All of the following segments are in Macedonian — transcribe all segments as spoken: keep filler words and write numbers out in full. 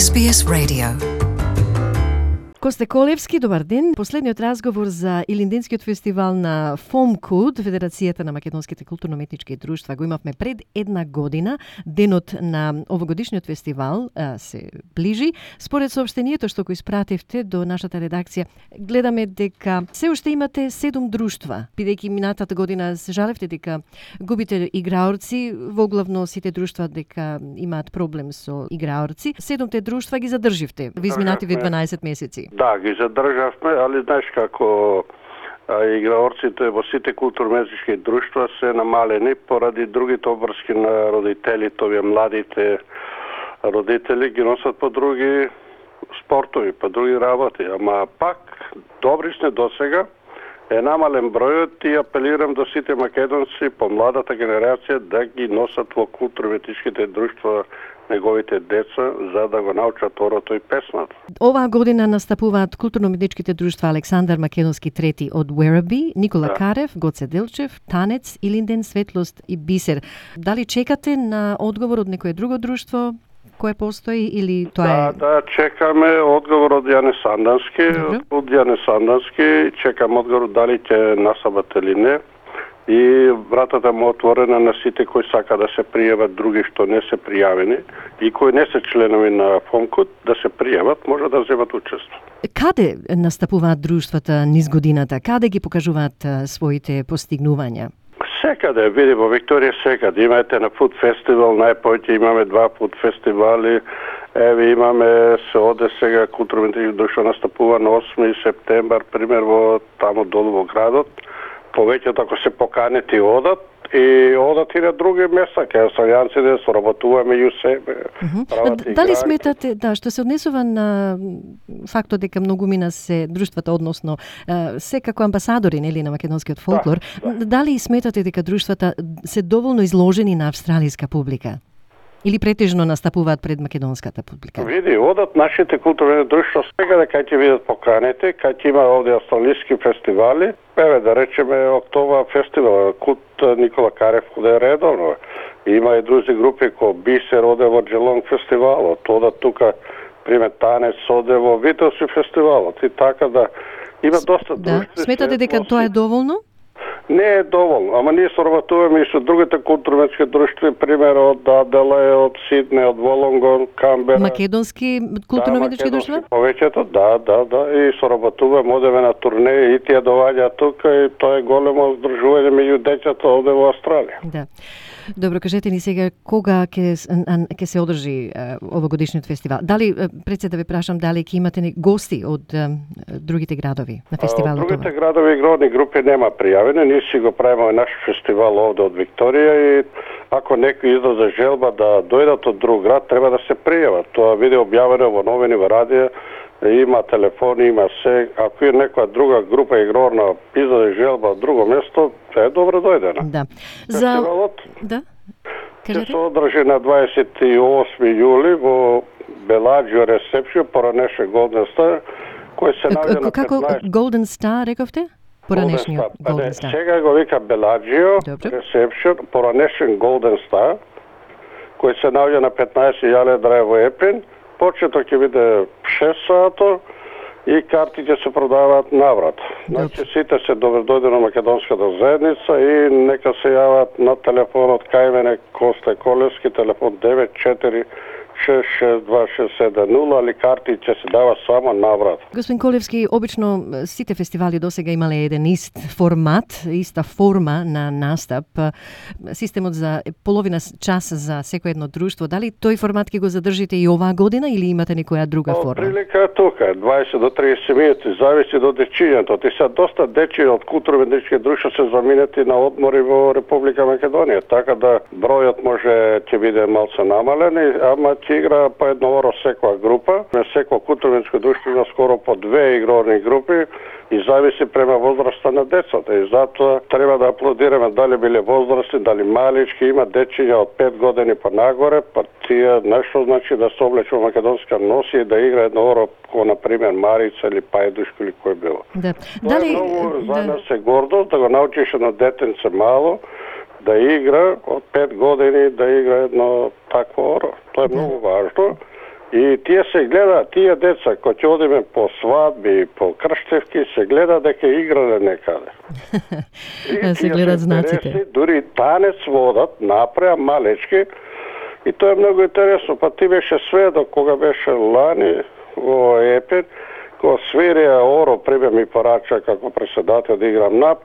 Ес Би Ес Radio. Косте Колевски, добар ден. Последниот разговор за Илинденскиот фестивал на ФОМКУД, Федерацијата на македонските културно-уметнички друштва, го имавме пред една година. Денот на овогодишниот фестивал а, се ближи. Според соопштението што го испративте до нашата редакција, гледаме дека се уште имате седум друштва, бидејќи минатата година се жалевте дека губите играорци, воглавно сите друштва дека имаат проблем со играорци. Седумте друштва ги задрживте во изминативе дванаесет месеци. Да, ги задржавме, али знаеш како а, играорците во сите културно-уметнички друштва се намалени поради другите обврски на родителите, овие младите родители ги носат по други спортови, по други работи. Ама пак, добри сме досега, е намален бројот и апелирам до сите македонци по младата генерација да ги носат во културно-уметничките друштва неговите деца, за да го научат орото и песната. Оваа година настапуваат културно-уметничките друштва Александар Македонски трети од Werribee, Никола да. Карев, Гоце Делчев, Танец, Илинден, Светлост и Бисер. Дали чекате на одговор од некое друго друштво кое постои или тоа да, е... Да, чекаме одговор од Јане Сандански, од Јане Сандански, чекам одговор дали ќе насабат или не. И вратата му отворена на сите кои сака да се пријават, други што не се пријавени и кои не се членови на ФОМКУД да се пријават, може да земат учество. Каде настапуваат друштвата низ годината? Каде ги покажуваат а, своите постигнувања? Секаде, види, во Викторија секаде. Имате на Фуд фестивал, најпоќе имаме два Фуд фестивали. Еве имаме се оде сега културно-уметнички друштво настапува на осми септембар, пример во тамо долу во градот. Повеќето ако се поканети одат и одат и на други места, кај австралијанците соработуваме и у себе. Mm-hmm. Дали сметате, да, што се однесува на фактот дека многумина се друштвата, односно се како амбасадори, нели, на македонскиот фолклор, да, да. Дали сметате дека друштвата се доволно изложени на австралијска публика? Или претежно настапуваат пред македонската публика? Види, одат нашите културни друштва сега дека ќе видат поканите, кај ќе има овде австралиски фестивали. Еве да речеме Октова фестивал, Кут Никола Карев оде редовно. Има и други групи ко Бисер оде во Джелонг фестивалот, одат тука пример Танец оде во Вителси фестивалот и така да има доста друштви. Да, сметате дека тоа е доволно? Не е доволно, ама ние соработуваме и со другите културно-уметнички друштви, пример од Аделај, од Сиднеј, од Волонгон, Камбера. Македонски културно-уметнички да, друштва? Повеќето, да, да, да, и соработуваме, одеме на турнеи и тие доаѓаат тука и тоа е големо здружување меѓу децата овде во Австралија. Да. Добро, кажете ни сега кога ќе ќе се одржи овогодишниот фестивал? Дали пред се да ве прашам дали ќе имате гости од а, другите градови на фестивалот? Од другите градови игрални групи нема пријавени, ние си го правиме наш фестивал овде од Викторија и ако некој излезе желба да дојдат од друг град, треба да се пријават. Тоа биде објавено во новини, во радио, има телефони, има се. Ако е некоја друга група игрорна излезе желба од друго место, е добро дојдена. Да. За да. Кажете? Се одржи на дваесет и осми јули во Беладжио Ресепшн, поранеше Голден Стар, кој се наоѓа на како петнаесет... Голден Стар, рековте? Поранешниот Голден Стар. Сега го вика Беладжио Ресепшн, поранешен Голден Стар, кој се наоѓа на петнаесет Јале Драј во Епин. Почеток ќе биде шест сато и карти ќе се продаваат наврат. Значи сите се добредојде на македонската заедница и нека се јават на телефонот кај мене Косте Колевски, телефон девет четири шест шест два шест седем нула, али карти ќе се дава само наврат. Господин Колевски, обично сите фестивали досега имале еден ист формат, иста форма на настап. Системот за половина час за секој едно друштво. Дали тој формат ќе го задржите и оваа година или имате некоја друга форма? Прилика е тука, дваесет до триесет минути, зависи до дечињето. Ти се доста дечи од културно-уметнички друштва се заминети на одмори во Република Македонија, така да бројот може ќе биде малце намален, ама ќе игра по едно оро секоја група. На секој културно-уметничко друштво има скоро по две игрорни групи и зависи према возраста на децата. И затоа треба да аплодираме дали биле возрастни, дали малички, има дечиња од пет години па нагоре, па тие нешто значи да се облече во македонска носи и да игра едно оро, ко на пример Марица или Пајдушко или кој било. Да. Тоа Дали е многу да. за нас е гордост да го научиш едно детенце мало да игра од пет години, да игра едно такво оро. Тоа е да. многу важно. И тие се гледа, тие деца кои ќе одиме по свадби, по крштевки, се гледа дека играле некаде. се гледат знаците. Дури танец водат, напреа малечки, и тоа е многу интересно. Па ти беше сведок кога беше лани во Епир, кога свирија Оро прибе ми порача како председател да играм нап,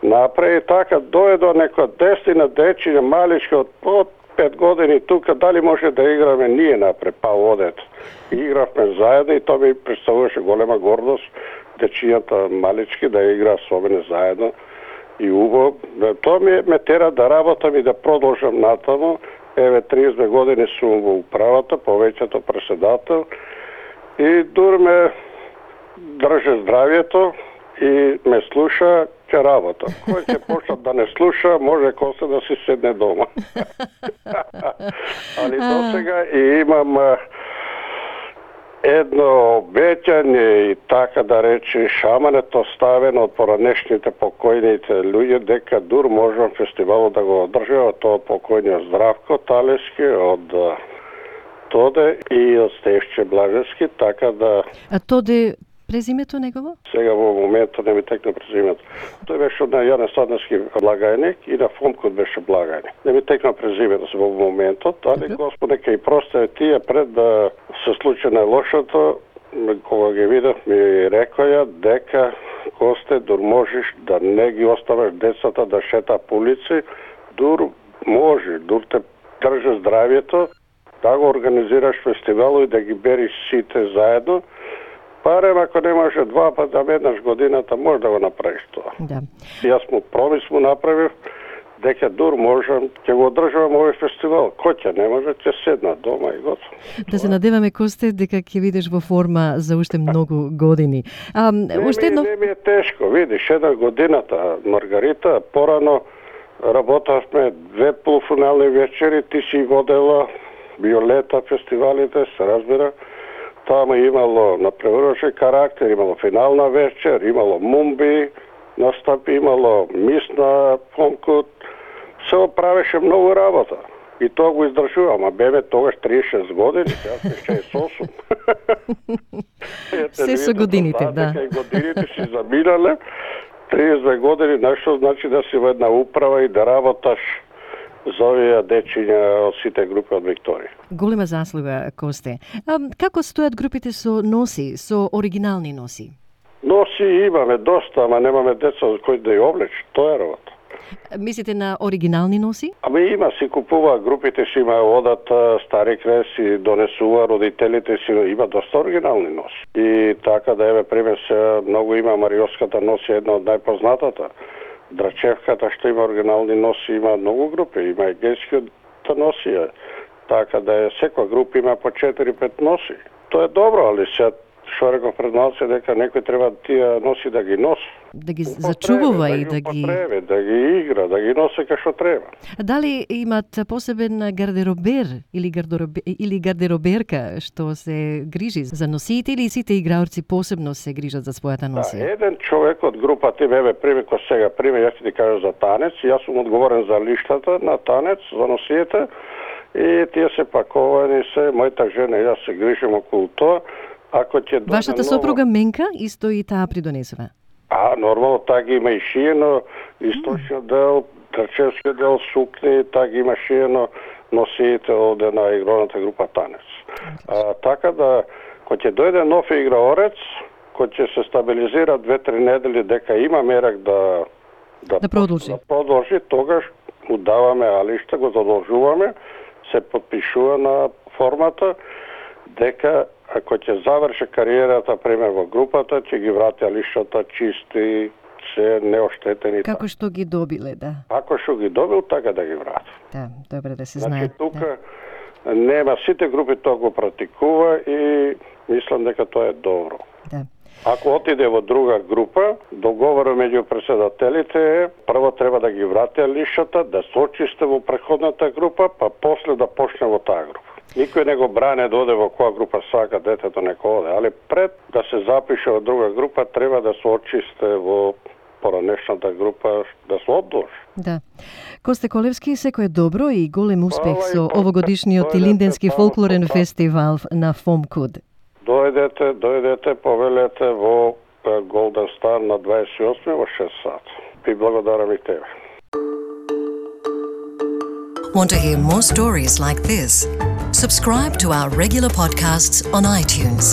напре и така дојде некоја десетина дечиња малички од, од пет години тука, дали може да играме ние напре, па одет. Игравме заедно и тоа ми представуваше голема гордост, дечињата малички да игра со мене заедно и убаво. Тоа ми ме тера да работам и да продолжам натаму. Еве триесет години сум во управата, повеќето председател и дур ме држи здравието и ме слуша, ќе работам. Кој ќе почна да не слуша, може Косте да си седне дома. Али до сега и имам едно обеќање и така да рече шамането ставено од поранешните покојните луѓе дека дур можам фестивалот да го одржава, тоа покојниот Здравко Талески од Тоде и од Стефче Блажевски, така да... А Тоде презимето негово? Сега во моментот не ми текне презимето. Тој беше од Јане Садневски благајник и на Фомкот беше благајник. Не ми текне презимето во моментот, али Господ нека и просте тие пред да се случи најлошото, кога ги видов ми рекоја дека Косте дур можеш да не ги оставаш децата да шета по улици, дур може, дур те држи здравието, да го организираш фестивал и да ги бериш сите заедно. Барем ако не може два пат да еднаш годината, може да го направиш тоа. Да. Јас му промис му направив дека дур можам, ќе го одржавам овој фестивал. Кој ќе не може, ќе седна дома и готово. Да се надеваме, Косте, дека ќе видиш во форма за уште многу години. А, не, уште едно... ми, не ми е тешко, видиш, една годината, Маргарита, порано работавме две полуфинални вечери, ти си водела Виолета фестивалите, се разбира. Тама имало напреваруваше карактер, имало финална вечер, имало мумби, настапи, имало мис на Фомкот. Се оправеше многу работа. И тоа го издржувам, а бебе тогаш триесет и шест години, јас сум шеесет и осум. Се со годините, да. И годините си заминале, триесет години, нешто значи да си во една управа и да работаш за овие дечиња од сите групи од Викторија. Голема заслуга, Косте. А, како стојат групите со носи, со оригинални носи? Носи имаме доста, ама немаме деца за кои да ја облече. Тоа е работа. Мислите на оригинални носи? Ами има, си купува, групите си има, одат стари креси, донесува, родителите си, има доста оригинални носи. И така да еве пример се многу има Мариоската носи, една од најпознатата. Драчевката што има оригинални носи, има многу групи, има егејската носија. Така да е, секоја група има по четири-пет носи. Тоа е добро, али се што реков пред малце дека некој треба тие носи да ги носи. Да ги зачувува и да ги... Употреби, да ги игра, да ги носи кај што треба. Дали имат посебен гардеробер или, гардеробе, или гардероберка што се грижи за носиите или сите играорци посебно се грижат за својата носија? Да, еден човек од групата им, еве приме кој сега приме, јас ти кажа за танец, јас сум одговорен за лиштата на танец, за носиите и тие се паковани се, мојата жена и јас се грижим околу тоа. Ако ќе Вашата ново... сопруга Менка исто и таа придонесува? А, нормално, така има и шиено, источниот дел, трчевскиот дел, сукни, така има шиено носиите од една игроната група Танец. А, така да, кој ќе дојде нов играорец, кој ќе се стабилизира две-три недели дека има мерак да да, да продолжи. Да продолжи, тогаш му даваме алишта, го задолжуваме, се подпишува на формата дека ако ќе заврши кариерата пример во групата, ќе ги врати алиштата чисти, се неоштетени. Како што ги добиле, да. Ако што ги добил, така да ги врати. Да, добре да се значи, знае. Значи тука да. Нема, сите групи тоа го практикува и мислам дека тоа е добро. Да. Ако отиде во друга група, договорот меѓу председателите е прво треба да ги врати алиштата, да се очисти во претходната група, па после да почне во таа група. Никој не го бране да оде во која група сака детето нека оде, али пред да се запише во друга група треба да се очисте во поранешната група да се одложи. Да. Косте Колевски, секое добро и голем успех Хвала и со по- овогодишниот дојдете Илинденски само фолклорен со тоа. фестивал на Фомкуд. Дојдете, дојдете, повелете во е, Golden Star на дваесет и осми во шест сати. И благодарам и тебе. Want to hear more stories like this? Subscribe to our regular podcasts on iTunes.